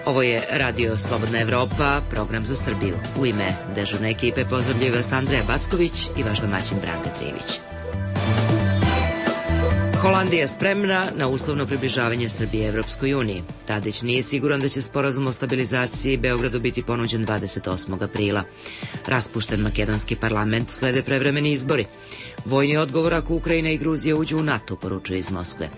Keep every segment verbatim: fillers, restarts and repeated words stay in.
Ovo je Radio Slobodna Evropa, program za Srbiju. U ime dežurne ekipe pozdravljaju vas Andreja Backović i vaš domaćin Branka Trivić. Holandija spremna na uslovno približavanje Srbije Evropskoj uniji. Tadić nije siguran da će sporazum o stabilizaciji Beogradu biti ponuđen dvadeset osmog aprila. Raspušten makedonski parlament, slede prevremeni izbori. Vojni odgovor ako Ukrajina i Gruzija uđu u NATO, poručuje iz Moskve.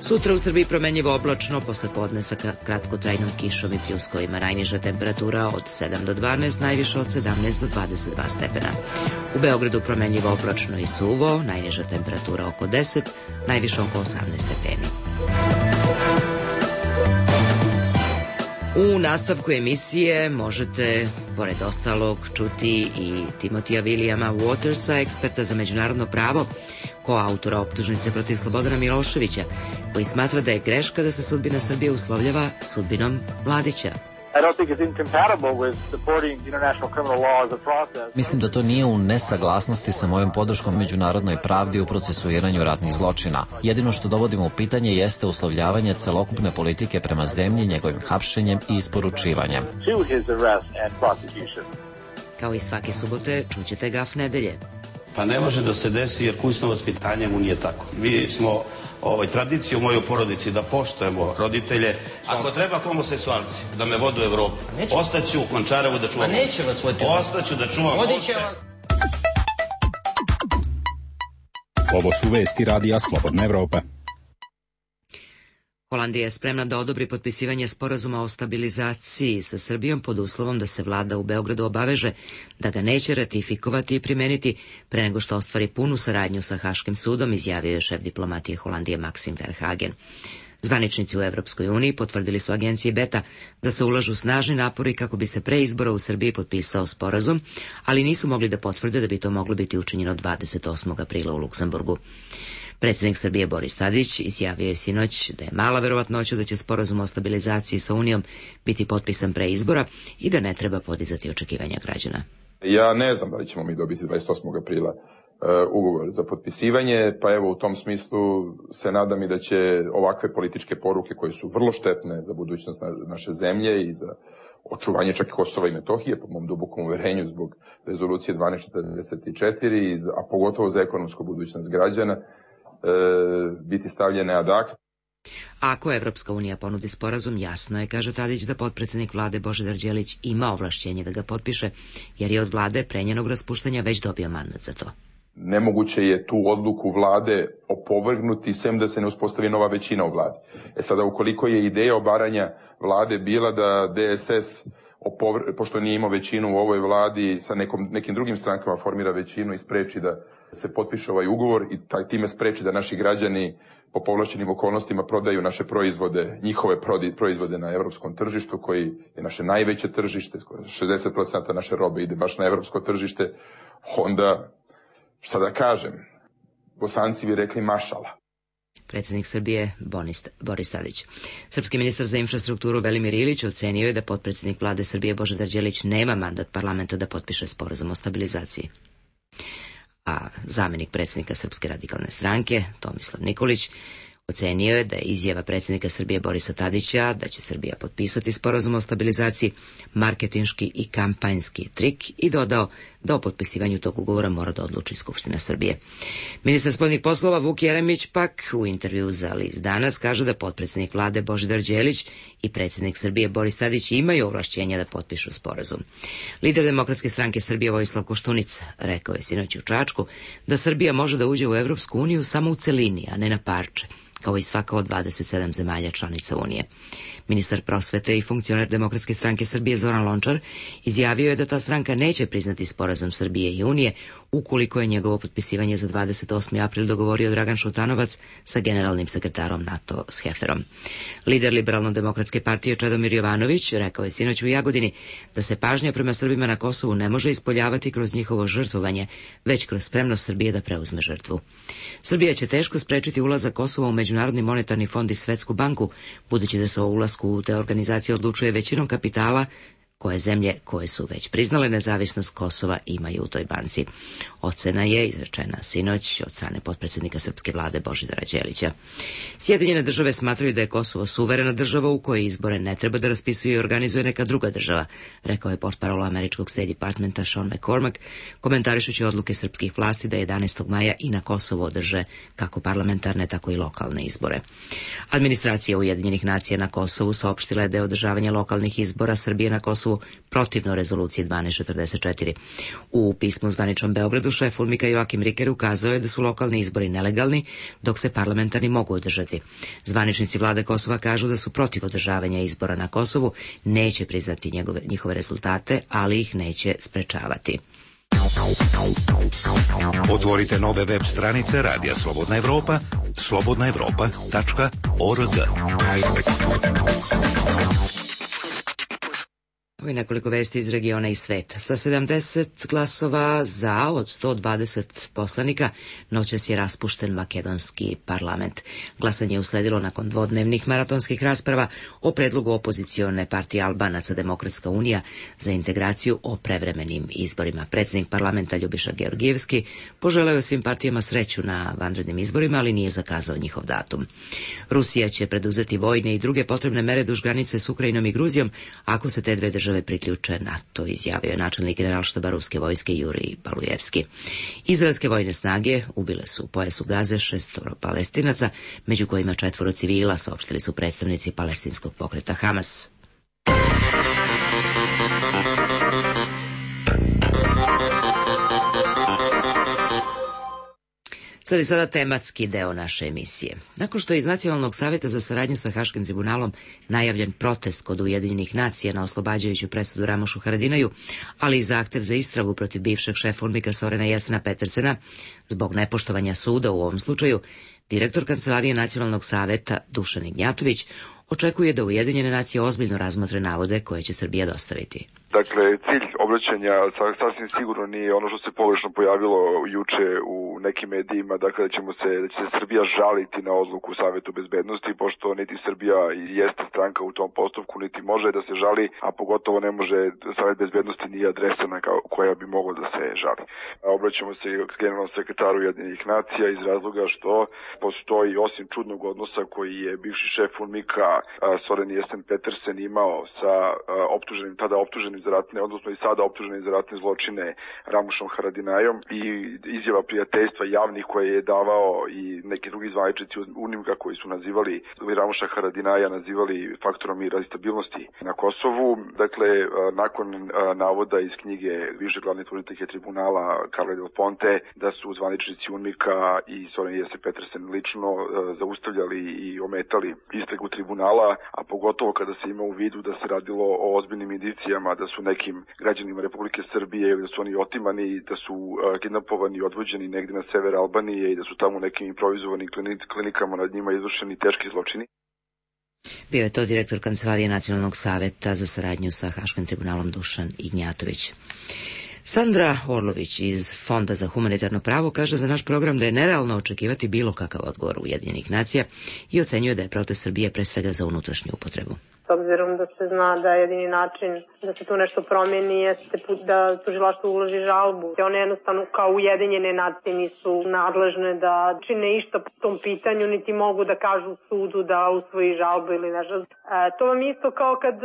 Sutra u Srbiji promenljivo oblačno, posle podne sa kratkotrajnom kišom i pljuskovima. Najniža temperatura od sedam do dvanaest, najviša od sedamnaest do dvadeset dva stepena. U Beogradu promenljivo oblačno i suvo, najniža temperatura oko deset, najviša oko osamnaest stepeni. U nastavku emisije možete, pored ostalog, čuti i Timotija Vilijama Watersa, eksperta za međunarodno pravo, koautora optužnice protiv Slobodana Miloševića, koji smatra da je greška da se sudbina Srbije uslovljava sudbinom Mladića. Mislim da to nije u nesaglasnosti sa mojom podrškom međunarodnoj pravdi u procesuiranju ratnih zločina. Jedino što dovodimo u pitanje jeste uslovljavanje celokupne politike prema zemlji, njegovim hapšenjem i isporučivanjem. Kao i svake subote, čućete Gaf nedelje. Pa ne može da se desi jer kućno vaspitanje mu nije tako. Mi smo ovaj, tradiciju u mojoj porodici da poštujemo roditelje. Ako treba homoseksualci da me vodu u Evropu, ostaću u Končarevu da čuvam. Neće vas voditi. Ostaću da čuvam. Vodiće vas. Ovo su vesti Radija Slobodna Evropa. Holandija je spremna da odobri potpisivanje sporazuma o stabilizaciji sa Srbijom pod uslovom da se vlada u Beogradu obaveže da ga neće ratifikovati i primeniti pre nego što ostvari punu saradnju sa Haškim sudom, izjavio je šef diplomatije Holandije Maxim Verhagen. Zvaničnici u Evropskoj uniji potvrdili su agenciji Beta da se ulažu snažni napori kako bi se pre izbora u Srbiji potpisao sporazum, ali nisu mogli da potvrde da bi to moglo biti učinjeno dvadeset osmog aprila u Luksemburgu. Predsjednik Srbije Boris Tadić izjavio je sinoć da je mala verovatnoća da će sporazum o stabilizaciji sa Unijom biti potpisan pre izbora i da ne treba podizati očekivanja građana. Ja ne znam da li ćemo mi dobiti dvadeset osmog aprila uh, ugovor za potpisivanje, pa evo u tom smislu se nadam i da će ovakve političke poruke koje su vrlo štetne za budućnost naše zemlje i za očuvanje čak i Kosova i Metohije, po mom dubokom uverenju zbog rezolucije dvanaest četrdeset četiri, a pogotovo za ekonomsku budućnost građana, biti stavljene ad acta. Ako Evropska unija ponudi sporazum, jasno je, kaže Tadić, da potpredsjednik vlade Božidar Đelić ima ovlašćenje da ga potpiše, jer je od vlade pre njenog raspuštanja već dobio mandat za to. Nemoguće je tu odluku vlade opovrgnuti sem da se ne uspostavi nova većina u vladi. E sada, ukoliko je ideja obaranja vlade bila da D S S, opovr... pošto nije imao većinu u ovoj vladi, sa nekom, nekim drugim strankama formira većinu i spreči da se potpiše ovaj ugovor i taj time spreči da naši građani po povlašćenim okolnostima prodaju naše proizvode, njihove proizvode na evropskom tržištu, koji je naše najveće tržište, šezdeset posto naše robe ide baš na evropsko tržište, onda, šta da kažem, Bosanci bi rekli mašala. Predsjednik Srbije Boris Tadić. Srpski ministar za infrastrukturu Velimir Ilić ocenio je da potpredsjednik vlade Srbije Božidar Đelić nema mandat parlamenta da potpiše sporazum o stabilizaciji. A zamenik predsjednika Srpske radikalne stranke, Tomislav Nikolić, ocenio je da je izjava predsjednika Srbije Borisa Tadića da će Srbija potpisati sporazum o stabilizaciji marketinški i kampanjski trik i dodao da o potpisivanju tog ugovora mora da odluči Skupština Srbije. Ministar spoljnih poslova Vuk Jeremić pak u intervju za list Danas kaže da potpredsjednik vlade Božidar Đelić i predsjednik Srbije Boris Tadić imaju ovlašćenja da potpišu sporazum. Lider Demokratske stranke Srbije Vojislav Koštunica rekao je sinoć u Čačku da Srbija može da uđe u Evropsku uniju samo u celini, a ne na parče, kao i svaka od dvadeset sedam zemalja članica Unije. Ministar prosvete i funkcioner Demokratske stranke Srbije Zoran Lončar izjavio je da ta stranka neće priznati sporazum Srbije i Unije ukoliko je njegovo potpisivanje za dvadeset osmi april dogovorio Dragan Šutanovac sa generalnim sekretarom NATO Scheferom. Lider Liberalno-demokratske partije Čedomir Jovanović rekao je sinoć u Jagodini da se pažnja prema Srbima na Kosovu ne može ispoljavati kroz njihovo žrtvovanje, već kroz spremnost Srbije da preuzme žrtvu. Srbija će teško sprečiti ulazak Kosova u Međunarodni monetarni fond i Svetsku banku, budući da se o ulasku u te organizacije odlučuje većinom kapitala koje zemlje koje su već priznale nezavisnost Kosova imaju u toj banci. Ocena je izrečena sinoć od strane potpredsjednika srpske vlade Božidara Đelića. Sjedinjene države smatraju da je Kosovo suverena država u kojoj izbore ne treba da raspisuje i organizuje neka druga država, rekao je portparol američkog State Departmenta Sean McCormack, komentarišući odluke srpskih vlasti da jedanaestog maja i na Kosovo održe kako parlamentarne, tako i lokalne izbore. Administracija Ujedinjenih nacija na Kosovu saopštila je da je održavanje lokalnih izbora Srbije na Kosovu protivno rezoluciji dvanaest četrdeset četiri. U pismu zvaničnom Beogradu šef UNMIK-a Joakim Riker ukazao je da su lokalni izbori nelegalni, dok se parlamentarni mogu održati. Zvaničnici vlade Kosova kažu da su protiv održavanja izbora na Kosovu, neće priznati njegove, njihove rezultate, ali ih neće sprečavati. Otvorite nove web stranice Radija Slobodna Evropa, slobodna evropa tačka org. Ovo je nekoliko vesti iz regiona i sveta. Sa sedamdeset glasova za od sto dvadeset poslanika noćas je raspušten makedonski parlament. Glasanje je usledilo nakon dvodnevnih maratonskih rasprava o predlogu opozicione partije Albanaca Demokratska unija za integraciju o prevremenim izborima. Predsjednik parlamenta Ljubiša Georgijevski poželeo je svim partijama sreću na vanrednim izborima, ali nije zakazao njihov datum. Rusija će preduzeti vojne i druge potrebne mere duž granice s Ukrajinom i Gruzijom ako se te dve države priključe NATO, izjavio je načelnik generalštaba ruske vojske Jurij Balujevski. Izraelske vojne snage ubile su u pojasu Gaze šestoro Palestinaca, među kojima četvoro civila, saopštili su predstavnici palestinskog pokreta Hamas. Sad je sada tematski deo naše emisije. Nakon što je iz Nacionalnog savjeta za saradnju sa Haškim tribunalom najavljen protest kod Ujedinjenih nacija na oslobađajuću presudu Ramušu Haradinaju, ali i zahtev za istragu protiv bivšeg šefa UNMIK-a Sorena Jesena Petersena, zbog nepoštovanja suda u ovom slučaju, direktor Kancelarije Nacionalnog savjeta Dušan Ignjatović očekuje da Ujedinjene nacije ozbiljno razmotre navode koje će Srbija dostaviti. Dakle, cilj obraćanja sasvim sigurno nije ono što se pogrešno pojavilo juče u nekim medijima, dakle da ćemo se, da će se Srbija žaliti na odluku Savetu bezbednosti, pošto niti Srbija jeste stranka u tom postupku, niti može da se žali, a pogotovo ne može, Savet bezbednosti nije adresa na koja bi mogla da se žali. Obraćamo se generalnom sekretaru Ujedinjenih nacija iz razloga što postoji, osim čudnog odnosa koji je bivši šef UNMIK-a Soren Jesen Petersen imao sa optuženim, tada optuženim za ratne, odnosno i sada optuženim za ratne zločine Ramušom Haradinajom i izjava prijateljstva javnih koje je davao i neki drugi zvaničnici UNMIK-a koji su nazivali Ramuša Haradinaja nazivali faktorom mira i stabilnosti na Kosovu. Dakle, nakon navoda iz knjige više glavne tužitelje tribunala Carla Del Ponte da su zvaničnici UNMIK-a i Soren Jesen Petersen lično zaustavljali i ometali istragu tribunala, a pogotovo kada se ima u vidu da se radilo o ozbiljnim indicijama da su nekim građanima Republike Srbije ili da su oni otimani, da su uh, kidnapovani i odvođeni negdje na sever Albanije i da su tamo nekim improvizovanim klinikama nad njima izvršeni teški zločini. Bio je to direktor Kancelarije Nacionalnog savjeta za saradnju sa Haškim tribunalom Dušan Ignjatović. Sandra Orlović iz Fonda za humanitarno pravo kaže za naš program da je nerealno očekivati bilo kakav odgovor Ujedinjenih nacija i ocenjuje da je protest Srbije pre svega za unutrašnju upotrebu. S obzirom da se zna da je jedini način da se tu nešto promijeni jeste da tužilaštvo uloži žalbu. One jednostavno kao Ujedinjene nacije nisu nadležne da čine išta po tom pitanju, niti mogu da kažu sudu da usvoji žalbu ili nešto. E, to vam isto kao kad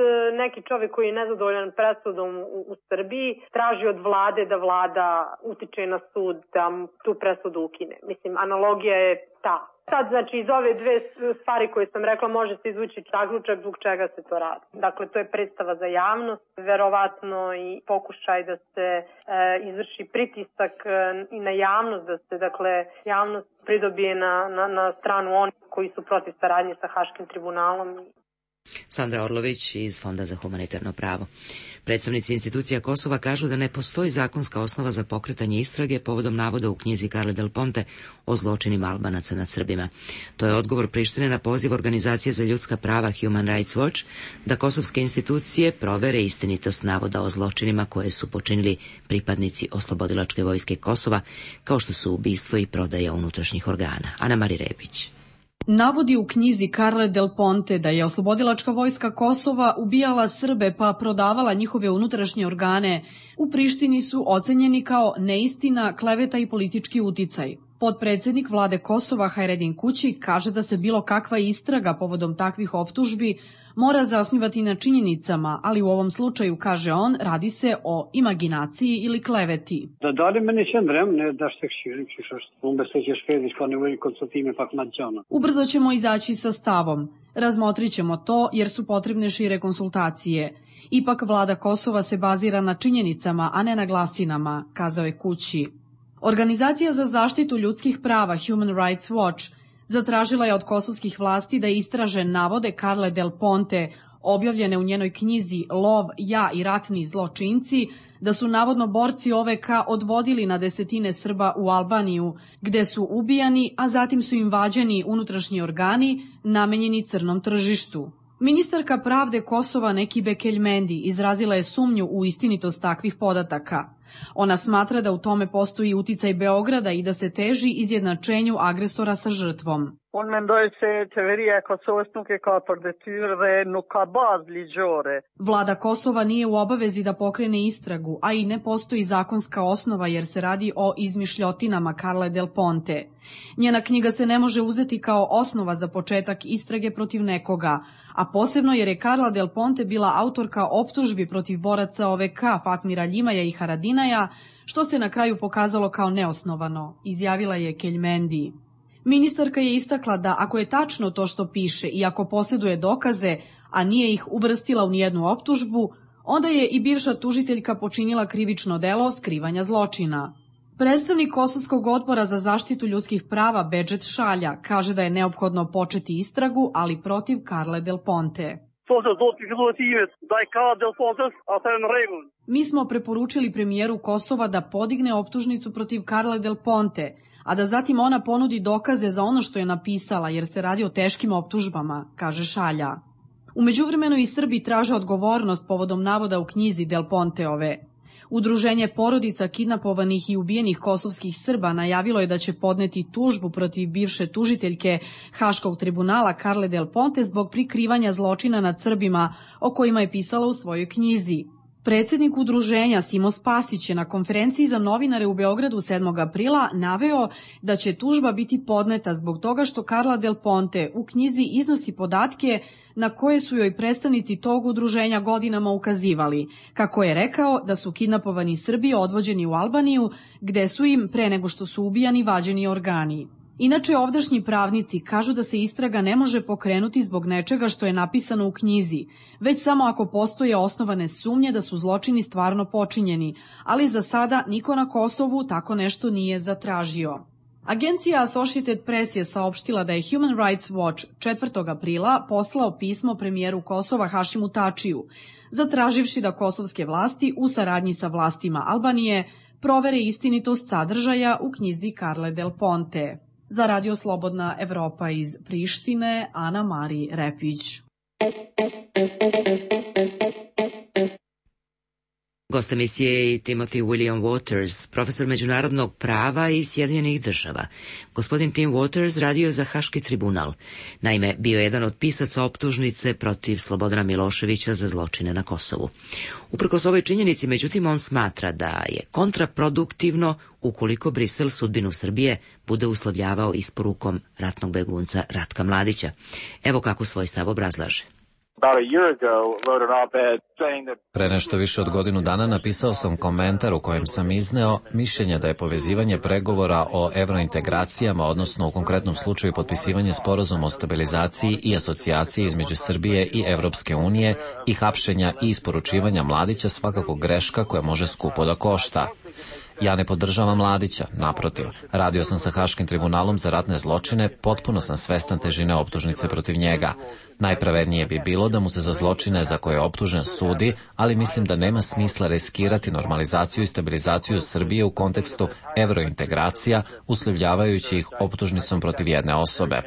neki čovjek koji je nezadovoljan presudom u, u Srbiji traži od vlade da vlada utiče na sud da tu presudu ukine. Mislim, analogija je ta. Sad, znači, iz ove dve stvari koje sam rekla može se izvući zaključak zbog čega se to radi. Dakle, to je predstava za javnost, verovatno i pokušaj da se e, izvrši pritisak e, i na javnost, da se, dakle, javnost pridobije na, na, na stranu onih koji su protiv saradnje sa Haškim tribunalom. Sandra Orlović iz Fonda za humanitarno pravo. Predstavnici institucija Kosova kažu da ne postoji zakonska osnova za pokretanje istrage povodom navoda u knjizi Carle Del Ponte o zločinima Albanaca nad Srbima. To je odgovor Prištine na poziv Organizacije za ljudska prava Human Rights Watch da kosovske institucije provere istinitost navoda o zločinima koje su počinili pripadnici Oslobodilačke vojske Kosova, kao što su ubistvo i prodaja unutrašnjih organa. Ana Mari Rebić. Navodi u knjizi Carle Del Ponte da je oslobodilačka vojska Kosova ubijala Srbe pa prodavala njihove unutrašnje organe, u Prištini su ocenjeni kao neistina, kleveta i politički uticaj. Potpredsednik vlade Kosova Hajredin Kući kaže da se bilo kakva istraga povodom takvih optužbi mora zasnivati na činjenicama, ali u ovom slučaju, kaže on, radi se o imaginaciji ili kleveti. Ubrzo ćemo izaći sa stavom. Razmotrit ćemo to jer su potrebne šire konsultacije. Ipak vlada Kosova se bazira na činjenicama, a ne na glasinama, kazao je Kući. Organizacija za zaštitu ljudskih prava Human Rights Watch zatražila je od kosovskih vlasti da istraže navode Carle Del Ponte, objavljene u njenoj knjizi Lov, ja i ratni zločinci, da su navodno borci O V K odvodili na desetine Srba u Albaniju, gde su ubijani, a zatim su im vađeni unutrašnji organi namenjeni crnom tržištu. Ministarka pravde Kosova Nekibe Keljmendi izrazila je sumnju u istinitost takvih podataka. Ona smatra da u tome postoji uticaj Beograda i da se teži izjednačenju agresora sa žrtvom. Vlada Kosova nije u obavezi da pokrene istragu, a i ne postoji zakonska osnova jer se radi o izmišljotinama Carle Del Ponte. Njena knjiga se ne može uzeti kao osnova za početak istrage protiv nekoga, a posebno jer je Carla Del Ponte bila autorka optužbi protiv boraca O V K Fatmira Ljimaja i Haradinaja, što se na kraju pokazalo kao neosnovano, izjavila je Keljmendi. Ministarka je istakla da ako je tačno to što piše i ako posjeduje dokaze, a nije ih uvrstila u nijednu optužbu, onda je i bivša tužiteljka počinila krivično delo skrivanja zločina. Predstavnik Kosovskog odbora za zaštitu ljudskih prava Bedžet Šalja kaže da je neophodno početi istragu, ali protiv Carle Del Ponte. Mi smo preporučili premijeru Kosova da podigne optužnicu protiv Carle Del Ponte, a da zatim ona ponudi dokaze za ono što je napisala, jer se radi o teškim optužbama, kaže Šalja. U međuvremenu i Srbi traže odgovornost povodom navoda u knjizi Del Ponteove. Udruženje porodica kidnapovanih i ubijenih kosovskih Srba najavilo je da će podneti tužbu protiv bivše tužiteljke Haškog tribunala Carle Del Ponte zbog prikrivanja zločina nad Srbima, o kojima je pisala u svojoj knjizi. Predsednik udruženja Simo Spasić je na konferenciji za novinare u Beogradu sedmog aprila naveo da će tužba biti podneta zbog toga što Carla Del Ponte u knjizi iznosi podatke na koje su joj predstavnici tog udruženja godinama ukazivali, kako je rekao da su kidnapovani Srbi odvođeni u Albaniju, gde su im, pre nego što su ubijani, vađeni organi. Inače, ovdašnji pravnici kažu da se istraga ne može pokrenuti zbog nečega što je napisano u knjizi, već samo ako postoje osnovane sumnje da su zločini stvarno počinjeni, ali za sada niko na Kosovu tako nešto nije zatražio. Agencija Associated Press je saopštila da je Human Rights Watch četvrtog aprila poslao pismo premijeru Kosova Hašimu Tačiju, zatraživši da kosovske vlasti u saradnji sa vlastima Albanije provere istinitost sadržaja u knjizi Carle Del Ponte. Za Radio Slobodna Evropa iz Prištine, Ana Mari Repić. Gost emisije je Timothy William Waters, profesor međunarodnog prava iz Sjedinjenih država. Gospodin Tim Waters radio za Haški tribunal. Naime, bio je jedan od pisaca optužnice protiv Slobodana Miloševića za zločine na Kosovu. Uprkos ovoj činjenici, međutim, on smatra da je kontraproduktivno ukoliko Brisel sudbinu Srbije bude uslovljavao isporukom ratnog begunca Ratka Mladića. Evo kako svoj stav obrazlaže. Pre nešto više od godinu dana napisao sam komentar u kojem sam izneo mišljenje da je povezivanje pregovora o evrointegracijama, odnosno u konkretnom slučaju potpisivanje sporazuma o stabilizaciji i asocijaciji između Srbije i Evropske unije i hapšenja i isporučivanja Mladića svakako greška koja može skupo da košta. Ja ne podržavam Mladića, naprotiv. Radio sam sa Haškim tribunalom za ratne zločine, potpuno sam svestan težine optužnice protiv njega. Najpravednije bi bilo da mu se za zločine za koje je optužen sudi, ali mislim da nema smisla riskirati normalizaciju i stabilizaciju Srbije u kontekstu evrointegracija, uslovljavajući ih optužnicom protiv jedne osobe.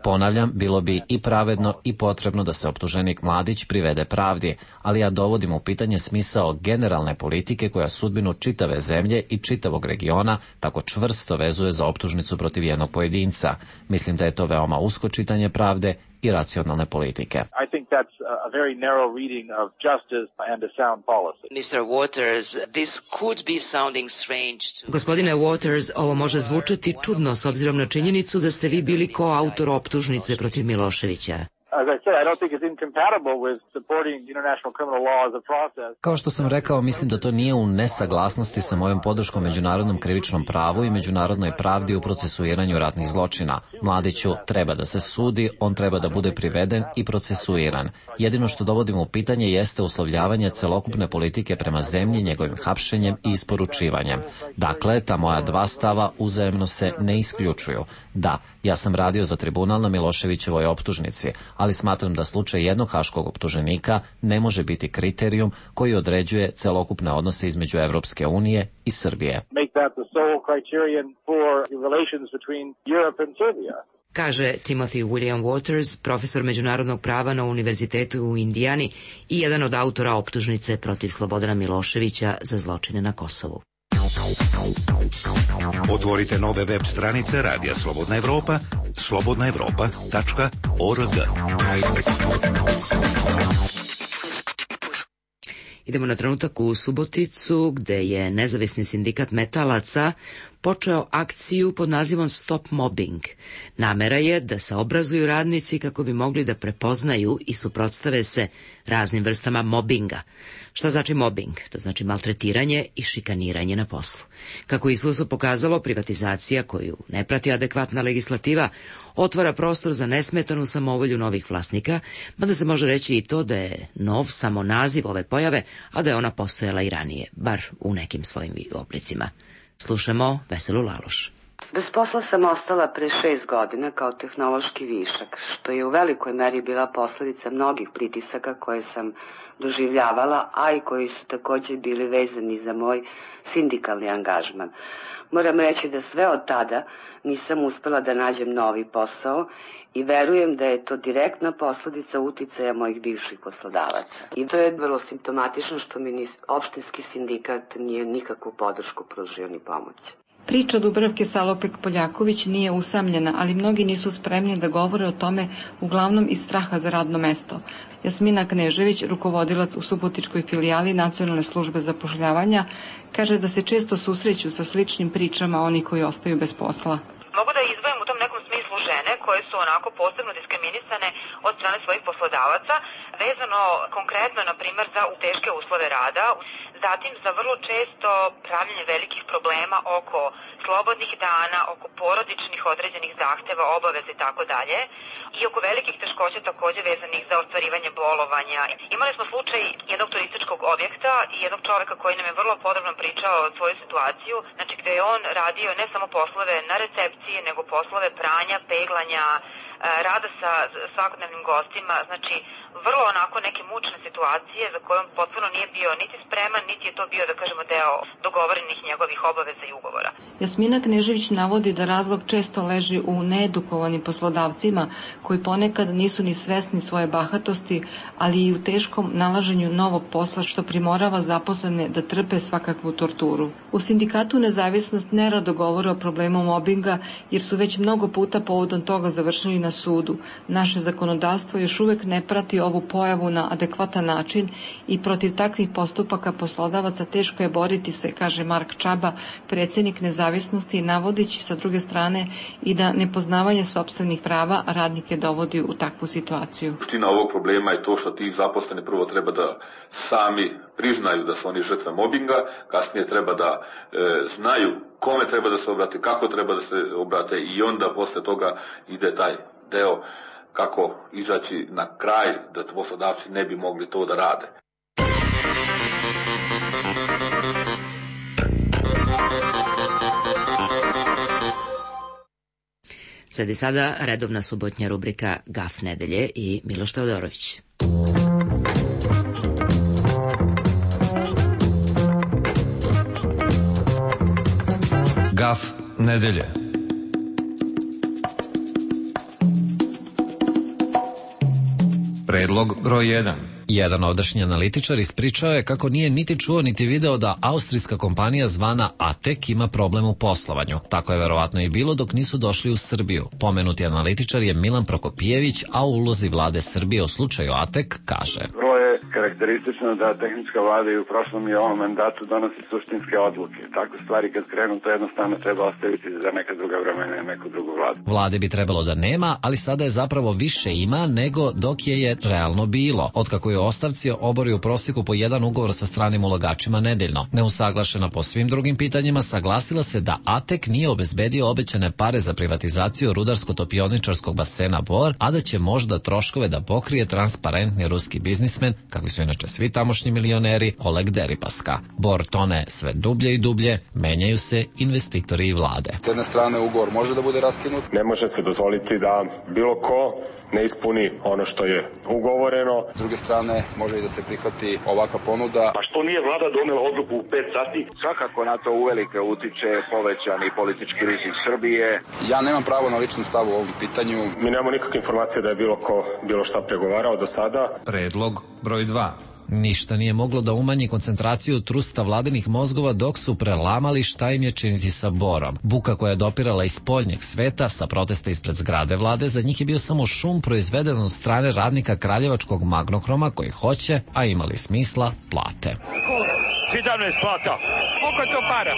Ponavljam, bilo bi i pravedno i potrebno da se optuženik Mladić privede pravdi, ali ja dovodim u pitanje smisao generalne politike koja sudbinu čitave zemlje i čitavog regiona tako čvrsto vezuje za optužnicu protiv jednog pojedinca. Mislim da je to veoma usko čitanje pravde i racionalne politike. I think that's a very narrow reading of justice and a sound policy. mister Waters, this could be sounding strange. Gospodine Waters, ovo može zvučati čudno s obzirom na činjenicu da ste vi bili koautor optužnice protiv Miloševića. Kao što sam rekao, mislim da to nije u nesaglasnosti sa mojom podrškom međunarodnom krivičnom pravu i međunarodnoj pravdi u procesuiranju ratnih zločina. Mladiću treba da se sudi, on treba da bude priveden i procesuiran. Jedino što dovodim u pitanje jeste uslovljavanje celokupne politike prema zemlji njegovim hapšenjem i isporučivanjem. Dakle, ta moja dva stava uzajemno se ne isključuju. Da, ja sam radio za tribunal na Miloševićevoj optužnici, ali smatram da slučaj jednog haškog optuženika ne može biti kriterijum koji određuje celokupne odnose između Evropske unije i Srbije. Kaže Timothy William Waters, profesor međunarodnog prava na Univerzitetu u Indijani i jedan od autora optužnice protiv Slobodana Miloševića za zločine na Kosovu. Otvorite nove web stranice Radija Slobodna Evropa, slobodna evropa tačka org. Idemo na trenutak u Suboticu, gde je nezavisni sindikat metalaca počeo akciju pod nazivom Stop Mobbing. Namera je da se obrazuju radnici kako bi mogli da prepoznaju i suprotstave se raznim vrstama mobinga. Šta znači mobbing? To znači maltretiranje i šikaniranje na poslu. Kako iskustvo pokazalo, privatizacija koju ne prati adekvatna legislativa otvara prostor za nesmetanu samovolju novih vlasnika, mada se može reći i to da je nov samo naziv ove pojave, a da je ona postojala i ranije, bar u nekim svojim oblicima. Slušamo Veselu Laloš. Bez posla sam ostala pre šest godina kao tehnološki višak, što je u velikoj meri bila posledica mnogih pritisaka koje sam doživljavala, a i koji su također bili vezani za moj sindikalni angažman. Moram reći da sve od tada nisam uspela da nađem novi posao i verujem da je to direktna posledica uticaja mojih bivših poslodavaca. I to je vrlo simptomatično što mi opštinski sindikat nije nikakvu podršku pružio ni pomoć. Priča Dubravke Salopek-Poljaković nije usamljena, ali mnogi nisu spremni da govore o tome, uglavnom iz straha za radno mesto. Jasmina Knežević, rukovodilac u subotičkoj filijali Nacionalne službe zapošljavanja, kaže da se često susreću sa sličnim pričama oni koji ostaju bez posla. Mogu da izdvojim u tom nekom smislu žene koje su onako posebno diskriminisane od strane svojih poslodavaca, vezano konkretno, na primjer, za teške uslove rada, zatim za vrlo često pravljenje velikih problema oko slobodnih dana, oko porodičnih određenih zahteva, obaveza i tako dalje, i oko velikih teškoća također vezanih za ostvarivanje bolovanja. Imali smo slučaj jednog turističkog objekta i jednog čoveka koji nam je vrlo podrobno pričao svoju situaciju, znači gde je on radio ne samo poslove na recepciji, nego poslove pranja, peglanja, rada sa svakodnevnim gostima, znači vrlo onako neke mučne situacije za kojom potpuno nije bio niti spreman, niti je to bio, da kažemo, deo dogovorenih njegovih obaveza i ugovora. Jasmina Knežević navodi da razlog često leži u needukovanim poslodavcima koji ponekad nisu ni svesni svoje bahatosti, ali i u teškom nalaženju novog posla što primorava zaposlene da trpe svakakvu torturu. U sindikatu Nezavisnost nerado govore o problemu mobinga jer su već mnogo puta povodom toga završili na sudu. Naše zakonodavstvo još uvek ne prati ovu pojavu na adekvatan način i protiv takvih postupaka poslodavaca teško je boriti se, kaže Mark Čaba, predsjednik Nezavisnosti, navodeći sa druge strane i da nepoznavanje sopstvenih prava radnike dovodi u takvu situaciju. Suština ovog problema je to što ti zaposleni prvo treba da sami priznaju da su oni žrtve mobinga, kasnije treba da e, znaju kome treba da se obrate, kako treba da se obrate i onda posle toga ide taj deo kako izaći na kraj da poslodavci ne bi mogli to da rade. Sledi sada redovna subotnja rubrika Gaf nedelje i Miloš Teodorović. Gaf nedelje. Predlog broj jedan. Jedan ovdašnji analitičar ispričao je kako nije niti čuo niti video da austrijska kompanija zvana Atek ima problem u poslovanju. Tako je verovatno i bilo dok nisu došli u Srbiju. Pomenuti analitičar je Milan Prokopijević, a u ulozi vlade Srbije u slučaju Atek kaže: Vrlo je karakteristično da tehnička vlada i u prošlom i ovom mandatu donosi suštinske odluke. Takve stvari kad krenu, to jednostavno treba ostaviti za neka druga vremena i neku drugu vladu. Vlade bi trebalo da nema, ali sada je zapravo više ima nego dok je je realno bilo. Otkako je ostavci obori u prosjeku po jedan ugovor sa stranim ulagačima nedeljno. Neusaglašena po svim drugim pitanjima, saglasila se da Atek nije obezbedio obećane pare za privatizaciju rudarsko-topioničarskog basena Bor, a da će možda troškove da pokrije transparentni ruski biznismen, kakvi su inače svi tamošnji milioneri, Oleg Deripaska. Bor tone sve dublje i dublje, menjaju se investitori i vlade. S jedne strane ugovor može da bude raskinut. Ne može se dozvoliti da bilo ko ne ispuni ono što je ugovoreno. S druge strane, može i da se prihvati ovakva ponuda. Pa što nije vlada donela odluku u pet sati? Svakako na to uvelike utiče povećani politički rizik Srbije. Ja nemam pravo na lični stav u ovom pitanju. Mi nemamo nikakve informacije da je bilo ko bilo šta pregovarao do sada. Predlog broj dva. Ništa nije moglo da umanji koncentraciju trusta vladinih mozgova dok su prelamali šta im je činiti sa Borom. Buka koja je dopirala iz spoljnjeg sveta sa protesta ispred zgrade vlade, za njih je bio samo šum proizveden od strane radnika kraljevačkog Magnohroma koji hoće, a imali smisla, plate. sedamnaest plata. Koliko je to para?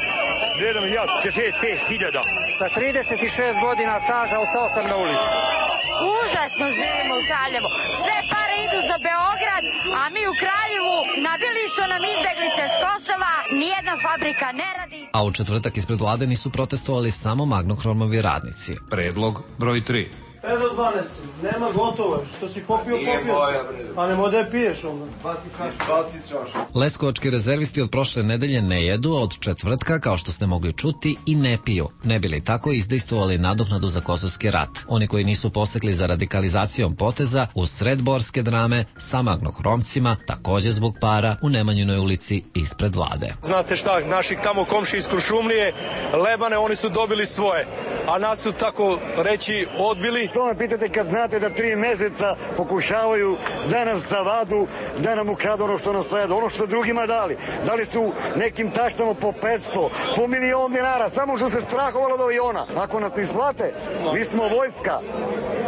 Gledam ja, šezdeset pet hiljada. Sa trideset šest godina staža ostao sam na ulici. Užasno živimo u Kraljevu. Sve pare idu za Beograd, a mi u Kraljevu nabili su nam izbeglice s Kosova, nijedna fabrika ne radi. A u četvrtak ispred vlade nisu protestovali samo Magnohromovi radnici. Predlog broj tri. Evo dvanaest, nema gotovo, što si popio, popio, a nemo da je piješ onda. Leskovački rezervisti od prošle nedelje ne jedu, a od četvrtka, kao što ste mogli čuti, i ne piju. Ne bili tako izdejstvovali nadoknadu za kosovski rat. Oni koji nisu posekli za radikalizacijom poteza, u sred borske drame, sa Magnohromcima, takođe zbog para, u Nemanjinoj ulici ispred vlade. Znate šta, naših tamo komši iz Kuršumlije, Lebane, oni su dobili svoje, a nas su tako reći odbili. To me pitate kad znate da tri meseca pokušavaju da nas zavadu, da nam ukradu ono što nas jedu, ono što drugima dali. Dali su nekim taštama po petsto, po milion dinara, samo što se strahovalo od aviona. Ako nas ne isplate, mi smo vojska.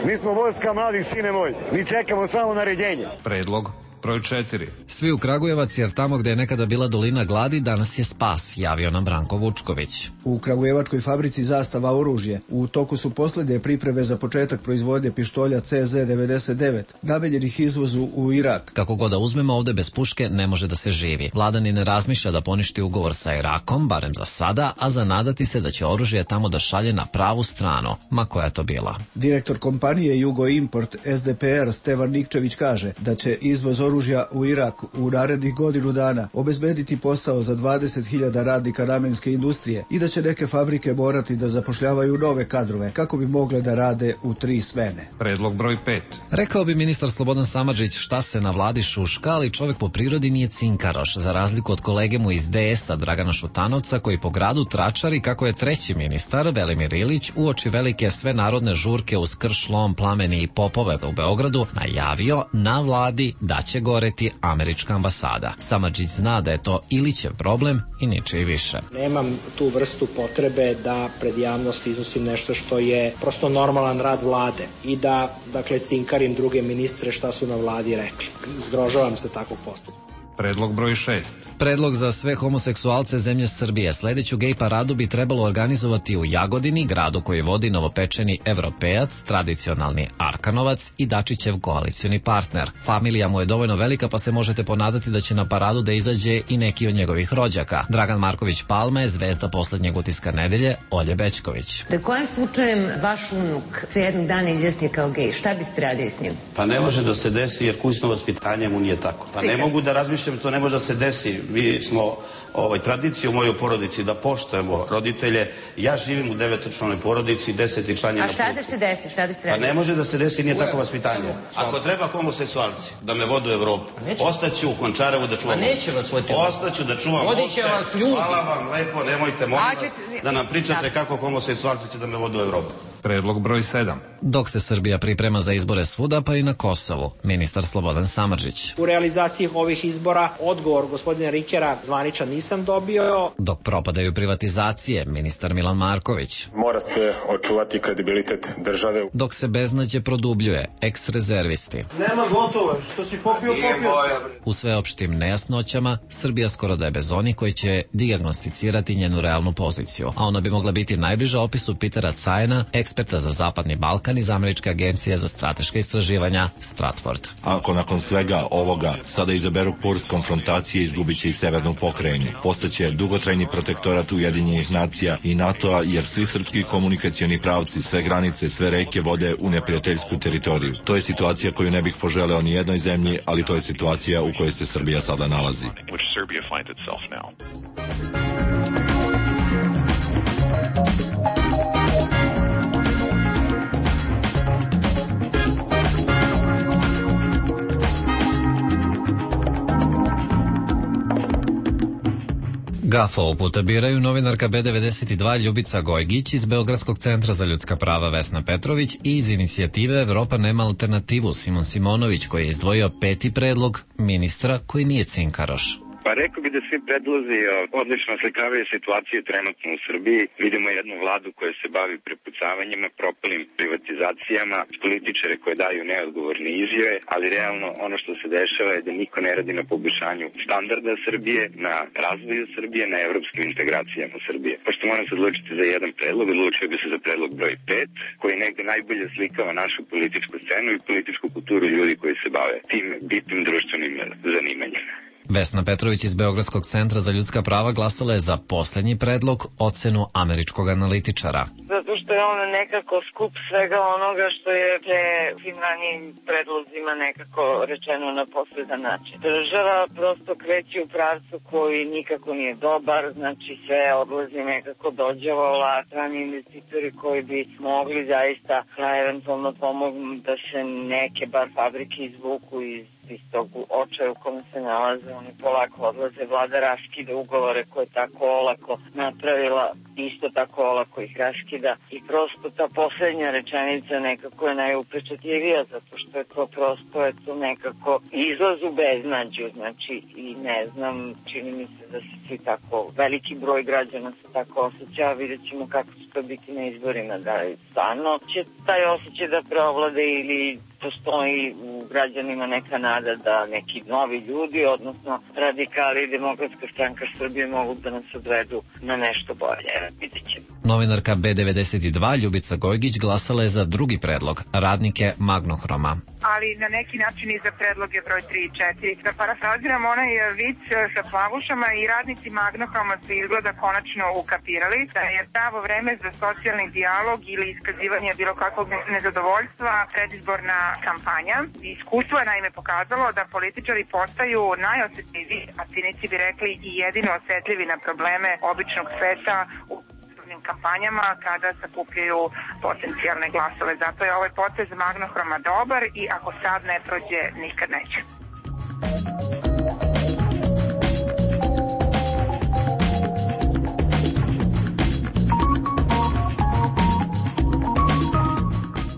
Mi smo vojska, mladi sine moj. Mi čekamo samo naređenje. Predlog broj četiri. Svi u Kragujevac, jer tamo gde je nekada bila dolina gladi, danas je spas, javio nam Branko Vučković. U kragujevačkoj fabrici Zastava oružje u toku su poslednje pripreme za početak proizvodnje pištolja C Z devedeset devet, namenjenih izvozu u Irak. Kako god da uzmemo, ovde bez puške ne može da se živi. Vlada ni ne razmišlja da poništi ugovor sa Irakom, barem za sada, a zanadati se da će oružje tamo da šalje na pravu stranu, ma koja je to bila. Direktor kompanije Jugo Import S D P R Stevan Nikčević kaže da će izvoz oružja u Irak u narednih godinu dana obezbediti posao za dvadeset hiljada radnika namenske industrije i da će neke fabrike morati da zapošljavaju nove kadrove kako bi mogle da rade u tri smene. Predlog broj pet. Rekao bi ministar Slobodan Samardžić šta se na vladi šuška, ali čovjek po prirodi nije cinkaroš, za razliku od kolege mu iz D S-a Dragana Šutanovca koji po gradu tračari kako je treći ministar Velimir Ilić uoči velike svenarodne žurke uz krš, lom, plameni i popove u Beogradu najavio na vladi da će goreti američka ambasada. Samardžić zna da je to Ilićev problem i ničiji više. Nemam tu vrstu potrebe da pred javnost iznosim nešto što je prosto normalan rad vlade i da, dakle, cinkarim druge ministre šta su na vladi rekli. Zgrožavam se takvog postupka. Predlog broj šest. Predlog za sve homoseksualce zemlje Srbije. Sledeću gej paradu bi trebalo organizovati u Jagodini, gradu koji vodi novopečeni evropejac, tradicionalni Arkanovac i Dačićev koalicioni partner. Familija mu je dovoljno velika pa se možete ponadati da će na paradu da izađe i neki od njegovih rođaka. Dragan Marković Palma je zvezda poslednjeg utiska nedelje, Olje Bećković. Da kojim slučajem vaš unuk se jednog dana izjasni kao gej, šta biste radili s njim? Pa ne može da se desi jer kućno vaspitanje mu nije tako. Pa ne mogu da razmišljam, to ne može da se desi. Mi smo ovaj, tradiciju u mojoj porodici da poštujemo roditelje. Ja živim u devetočlanoj porodici, deseti član je na putu. A šta da se desi? Šta da se radi? Pa ne može da se desi, nije tako vaspitanje. Ako treba homoseksualci da me vodu u Evropu, ostaću u Končarevu da čuvam. Pa neće vas voditi. Ostaću da čuvam. Vodiće vas ljudi. Hvala vam lepo, nemojte molim da nam pričate kako homoseksualci će da me vodu u Evropu. Predlog broj sedam. Dok se Srbija priprema za izbore svuda, pa i na Kosovu, ministar Slobodan Samardžić. U realizaciji ovih izbora odgovor gospodina Rikera zvaničan nisam dobio. Dok propadaju privatizacije, ministar Milan Marković. Mora se očuvati kredibilitet države. Dok se beznađe produbljuje, eks-rezervisti. Nema gotovo, što si popio, popio. U sveopštim nejasnoćama, Srbija skoro da je bez onih koji će dijagnosticirati njenu realnu poziciju, a ona bi mogla biti najbliža opisu Petera Cajena, eksperta za Zapadni Balkan iz Američke agencije za strateška istraživanja Stratford. Ako nakon svega ovoga sada izaberu kurs konfrontacije, izgubit će i severnu pokrajinu. Postaće dugotrajni protektorat Ujedinjenih nacija i NATO-a, jer svi srpski komunikacioni pravci, sve granice, sve reke vode u neprijateljsku teritoriju. To je situacija koju ne bih poželeo ni jednoj zemlji, ali to je situacija u kojoj se Srbija sada nalazi. Gaf ovog puta biraju novinarka B devedeset dva Ljubica Gojgić iz Beogradskog centra za ljudska prava Vesna Petrović i iz inicijative Evropa nema alternativu Simon Simonović, koji je izdvojio peti predlog ministra koji nije cinkaroš. Pa rekao bi da svi predlozi odlično slikavaju situaciju trenutno u Srbiji. Vidimo jednu vladu koja se bavi prepucavanjima, propalim privatizacijama, političare koje daju neodgovorne izjave, ali realno ono što se dešava je da niko ne radi na poboljšanju standarda Srbije, na razvoju Srbije, na evropskim integracijama Srbije. Pošto moram se odlučiti za jedan predlog, odlučio bi se za predlog broj pet, koji negde najbolje slikava našu političku scenu i političku kulturu ljudi koji se bave tim bitnim društvenim zanimanjima. Vesna Petrović iz Beogradskog centra za ljudska prava glasala je za poslednji predlog, ocenu američkog analitičara. Zato što je ono nekako skup svega onoga što je pre svim ranijim predlozima nekako rečeno na posredan način. Država prosto kreće u pravcu koji nikako nije dobar, znači sve odlazi nekako dođavola, strani investitori koji bi mogli zaista da eventualno pomognu da se neke bar fabrike izvuku iz iz tog očaja u kome se nalaze, oni polako odlaze, vlada raskida ugovore koje je tako olako napravila, isto tako olako ih raskida i prosto ta poslednja rečenica nekako je najupečatljivija, zato što je to prosto je to nekako izlaz u beznađu, znači i ne znam, čini mi se da se svi tako, veliki broj građana se tako osjeća, vidjet ćemo kako će to biti na izborima, da je stvarno će taj osjećaj da preovlade ili postoji u građanima neka nada da neki novi ljudi, odnosno radikali i Demokratska stranka Srbije mogu da nas odvedu na nešto bolje. Vidjet ćemo. Novinarka B devedeset dva Ljubica Gojgić glasala je za drugi predlog, radnike Magnohroma. Ali na neki način i za predloge broj tri i četiri. Da parafraziram onaj vic sa plavušama i radnici Magnohroma su izgleda konačno ukapirali da je pravo vreme za socijalni dijalog ili iskazivanje bilo kakvog nezadovoljstva predizborna kampanja. Iskustvo je naime pokazalo da političari postaju najosetljiviji, a cinici bi rekli i jedino osetljivi na probleme običnog sveta u kampanjama kada sakupljaju potencijalne glasove. Zato je ovaj potez Magnohroma dobar i ako sad ne prođe, nikad neće.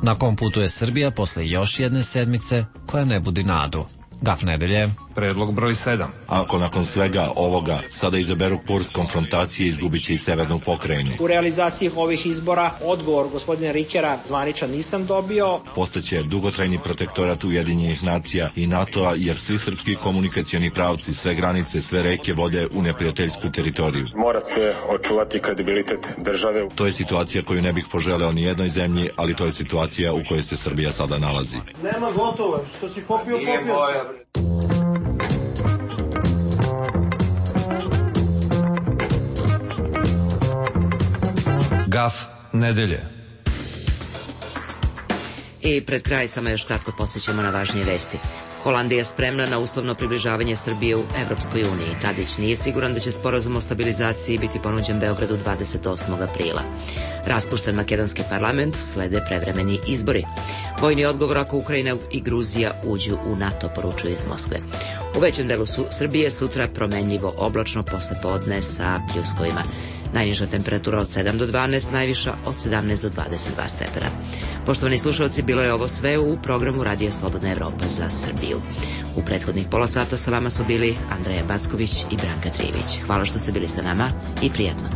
Na kom putu je Srbija posle još jedne sedmice koja ne budi nadu? Gaf nedelje. Predlog broj sedam. Ako nakon svega ovoga sada izaberu kurs konfrontacije, izgubit će i severnu pokrajinu. U realizaciji ovih izbora odgovor gospodina Rikera zvaničan nisam dobio. Postaće dugotrajni protektorat Ujedinjenih nacija i NATO-a, jer svi srpski komunikacioni pravci, sve granice, sve reke vode u neprijateljsku teritoriju. Mora se očuvati kredibilitet države. To je situacija koju ne bih poželeo ni jednoj zemlji, ali to je situacija u kojoj se Srbija sada nalazi. Nema gotovo, što si popio, popio. Gaf nedelje. I pred kraj samo još kratko podsjećamo na važnije vesti. Holandija je spremna na uslovno približavanje Srbije u Evropskoj uniji. Tadić nije siguran da će sporazum o stabilizaciji biti ponuđen Beogradu dvadeset osmog aprila. Raspušten makedonski parlament, slede prevremeni izbori. Vojni odgovor ako Ukrajina i Gruzija uđu u NATO, poručuju iz Moskve. U većem delu su Srbije sutra promenljivo oblačno posle podne sa pljuskovima. Najniža temperatura od sedam do dvanaest, najviša od sedamnaest do dvadeset dva stepena. Poštovani slušalci, bilo je ovo sve u programu Radija Slobodna Evropa za Srbiju. U prethodnih pola sata sa vama su bili Andreja Backović i Branka Trivić. Hvala što ste bili sa nama i prijatno.